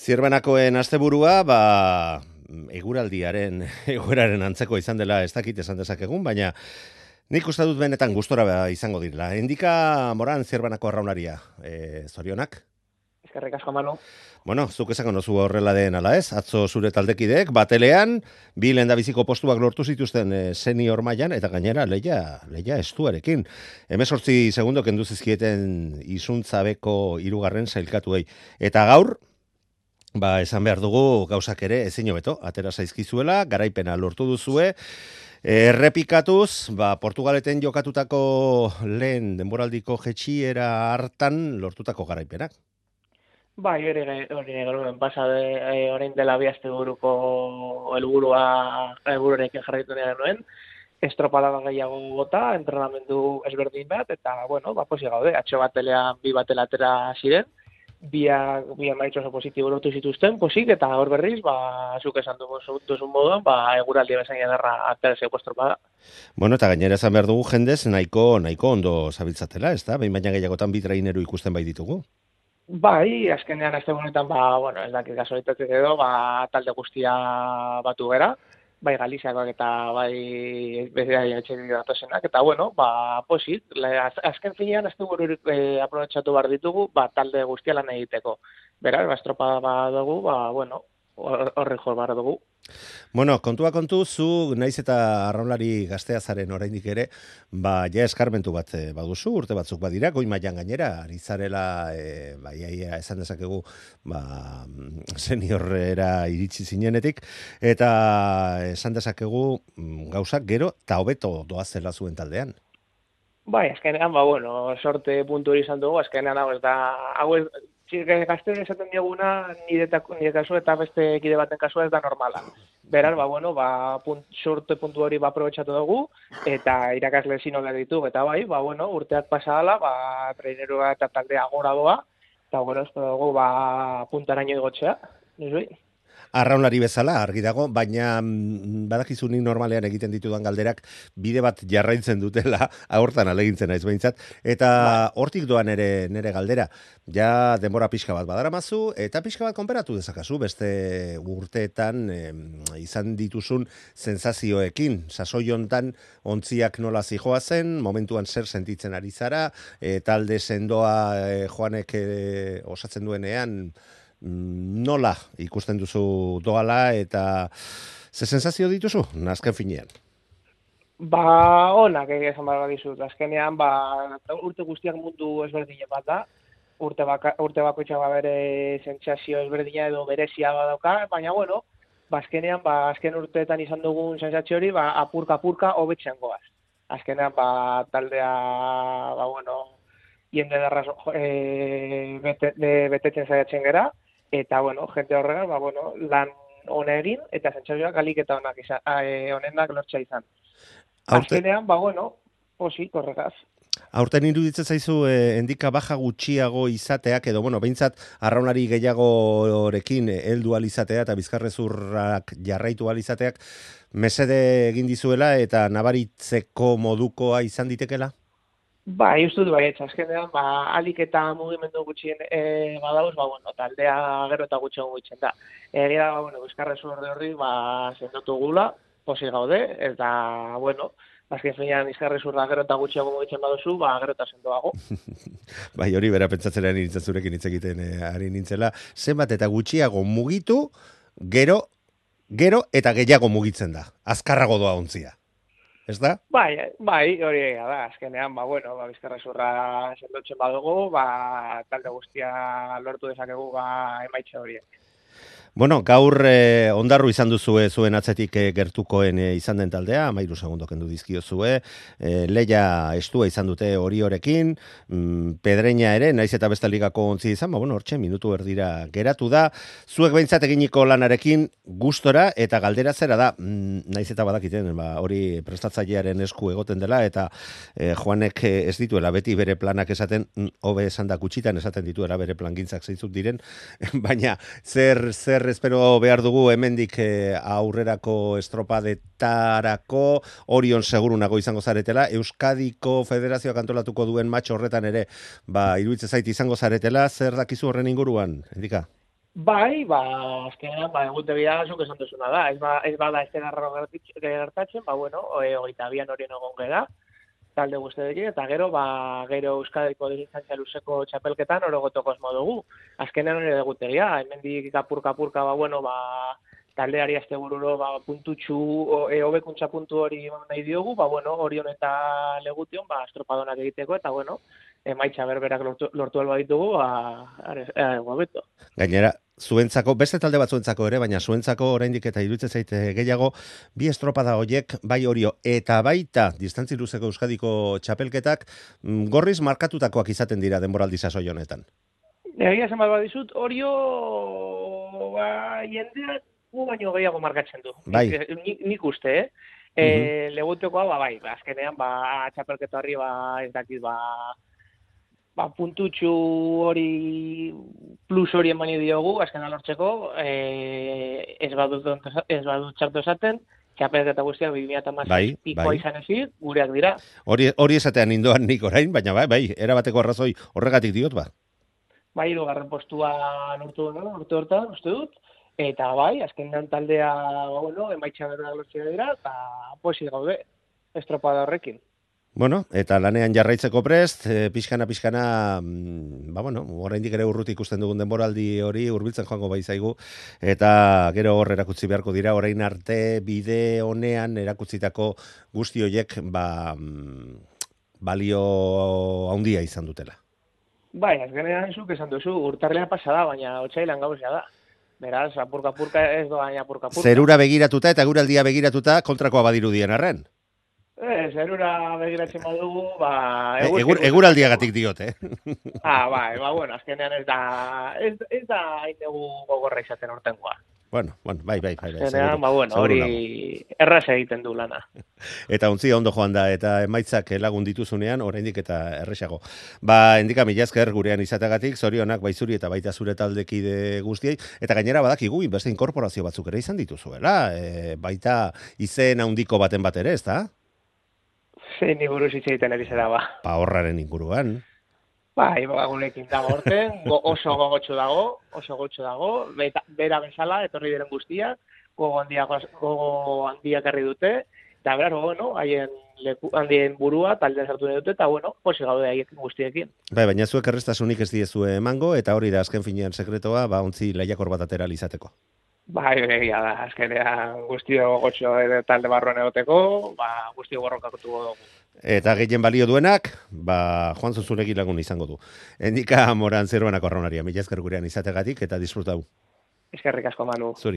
Zierbanakoen asteburua, eguraldiaren, egoeraren antzeko izan dela ez dakit esan dezakegun, baina nik uste dut benetan gustora izango direla. Endika Moran Zierbanako arraunaria, zorionak? Eskerrik asko, Manu. Bueno, zuk esango nozu horrela den ala ez, atzo zure taldekideek, batelean, bi lehendabiziko postuak lortu zituzten senior mailan eta gainera leia estuarekin. 18 segundo kendu zizkieten isuntzabeko hirugarren sailkatuei. Eta gaur, esan behar dugu gauzak ere ezin hobeto, atera zaizkizuela, garaipena lortu duzue, errepikatuz, Portugaleten jokatutako lehen denboraldiko jetxiera hartan lortutako garaipenak. Bai, hori genuen pasade, orain dela bi asteburuko helburuarekin jarraitu genuen, estropada gehiago gota, entrenamendu ezberdin bat, eta, posi gaude, atxo batelean bi batelatera ziren, bi emaitz oso positibo lortu zituzten, posik, eta hor berriz, zuk esan duzun moduan, eguraldi bezain edarra aterazeko estropada. Bueno, eta gainera esan behar dugu jendez, nahiko ondo zabiltzatela, ez da? Behin baina gehiagotan bi traineru ikusten bai ditugu. Bai, azkenean azte honetan, ez dakit gasolitatik edo, talde guztia batu gera, bai Galiziakoak eta bai bezala etxerik datosenak, eta posit, azken finean azte bururik aprobetxatu behar ditugu, talde guztia lan egiteko. Beraz, estropada dugu, horre jo behar dugu. Bueno, kontua kontu, zu naiz eta arraunlari gaztea zaren oraindik ere, ja eskarmentu bat baduzu, urte batzuk badira, goi mailan gainera, ari zarela, esan dezakegu, seniorera iritsi zinenetik, eta esan dezakegu gauzak gero eta hobeto doazela zuen taldean. Bai, azkenean, sorte puntu hori izan dugu, azkenean hau ez gazte esaten dioguna nire kasu eta beste kide baten kasua ez da normala. Beraz, sorte puntu hori aprobetxatu dugu, eta irakasle zino behar ditugu, eta urteak pasa ala, trainerua eta taldea gora doa, eta espero dugu, puntaraino igotzea, nizui? Arraunlari bezala, argi dago, baina badakizu nik normalean egiten ditudan galderak bide bat jarraitzen dutela, hortan alegintzen naiz behintzat, eta hortik doan nere galdera, ja denbora pixka bat badaramazu, eta pixka bat konperatu dezakazu, beste urteetan izan dituzun sensazioekin, sasoi hontan ontziak nola zijoa zen, momentuan zer sentitzen ari zara, talde sendoa Joanek osatzen duenean, nola ikusten duzu doala eta ze sensazio dituzu, azken finean? Onak esan behar dizut, azkenean, urte guztiak mundu ezberdine bat da, urte bakoitza bere sentsazio ezberdina edo berezia badauka, baina azkenean, azken urteetan izan dugun sentsazio hori, apurka hobetzen goaz. Azkenean, taldea, jende darraz betetzen zaiatzen gera, eta, jente horregan, lan hona egin, eta sentsazioak alik eta honenak lortza izan. Azkenean, posik horregaz. Aurten iruditzen zaizu endika baja gutxiago izateak, edo, behintzat, arraunari gehiagorekin heldu alizatea eta bizkarrezurrak jarraitu alizateak, mesede egin dizuela eta nabaritzeko modukoa izan ditekela? Ustut azkenean, alik eta mugimendu gutxien badauz, taldea gero eta gutxien gutxien da. Egia da, bizkarrezur horri, sendotu gula, posi gaude, eta, azken finean bizkarrezurra gero eta gutxiago mugitzen baduzu, gero eta sendoago. Hori bera pentsatzera nintzen zurekin hitz egiten ari nintzela, zenbat eta gutxiago mugitu, gero eta gehiago mugitzen da, azkarrago doa ontzia. Ez da? Hori da, azkenean, bizkarrezurra sendotzen badugu, talde guztia lortu dezakegu emaitza horiek. Bueno, gaur ondarru izan duzue zuen atzetik gertukoen izan den taldea, 13 segundo kendu dizkiozue, leia estua izan dute hori horekin, Pedreña ere, naiz eta beste ligako ontzi izan, hortxe, minutu erdira geratu da, zuek behintzat eginiko lanarekin gustora eta galdera zera da, naiz eta badakiten, hori prestatzailearen esku egoten dela, eta Joanek ez dituela beti bere planak esaten, hobe esan da gutxitan esaten dituela bere plangintzak zeintzuk diren, baina zer espero behar dugu hemendik aurrerako estropadetarako, Orion segurunago izango zaretela, Euskadiko Federazioak antolatuko duen matx horretan ere, iruditzen zait izango zaretela, zer dakizu horren inguruan, Endika? Bai, azkenean, egutegia zuk esan duzuna da. Ez bada ez dena gertatzen, bueno, 22an horien egon gara, talde guztiekin, eta gero Euskadiko distantzia luzeko txapelketan orogotoko esmo dugu. Azkenean hori egutegia, hemendik apurka, bueno, taldeari astebururo puntutxu, hobekuntza puntu hori nahi diogu, bueno, Orion eta Legution, estropadonak egiteko, eta bueno, emaitza berberak lortu alba ditugu, beto. Gainera, zuentzako, beste talde batzuentzako ere, baina zuentzako oraindik eta iruditzen zaite gehiago, bi estropada hoiek, bai Orio eta baita distantzi luzeko Euskadiko txapelketak, gorriz markatutakoak izaten dira denboraldi sasoi honetan. Egia esan bat dizut, Orio jendeak baino gehiago markatzen du. Bai. Nik uste, Legutiokoa, bai, azkenean, txapelketa horri, ez dakit, puntutxu hori plus hori emani diogu, azken alortzeko, ez badut txartu esaten, txapelketa guztiak 2016 pikoa izan ezik, gureak dira. Hori esatean indoan nik orain, baina bai, erabateko arrazoi horregatik diot, Bai, 3. postua urte hortan, uste dut, eta bai, azkenean taldea, bueno, emaitza berda lortzea dira, eta pozik gaude, estropada horrekin. Bueno, eta lanean jarraitzeko prest, pixkana, bueno, oraindik ere urruti ikusten dugun denboraldi hori hurbiltzen joango baizaigu, eta gero hor erakutsi beharko dira, orain arte bide honean erakutsitako guzti horiek, balio handia izan dutela. Bai, azkenean zuk esan duzu, urtarlean pasada, baina otsailean gauzea da. Beraz, apurka ez doa apurka. Zerura begiratuta eta eguraldia begiratuta kontrakoa badirudien arren. Zerura begiratzen badugu, eguraldiagatik diote. Bai, bueno, azkenean ez da hainegu gogorra izaten hortengoa. Bueno, bai. Azkenean, bueno, hori erraz egiten du lana. Eta ontzia ondo joan da, eta emaitzak lagun dituzunean, oraindik eta erresago. Endika mila esker gurean izateagatik, zorionak baizuri eta baita zure taldekide guztiei, eta gainera badakigu, beste inkorporazio batzuk ere izan dituzuela, baita izen handiko baten bat ere, ez da? Zein buruz hitz egiten ari zera, horraren inguruan. Bai, gurekin dago horten, oso gogotxo dago, bera bezala, etorri diren guztiak, gogo handiak herri dute, eta beraz, bueno, handien burua, taldean sartu nahi dute, eta bueno, posi gaude haiekin guztiekin. Bai, baina zuek errestasunik ez diezue emango, eta hori da azken finean sekretoa, ontzi lehiakor bat atera izateko. Bai, egia da, azkenean guztio gotxo talde barruan egoteko, guztio borrokatuko dugu. Eta gehien balio duenak, Juan Zuzunegi lagun izango du. Endika Moran Zeruanako arraunaria, mila esker gurean izategatik eta disfrutau. Eskerrik asko, Manu. Zuri.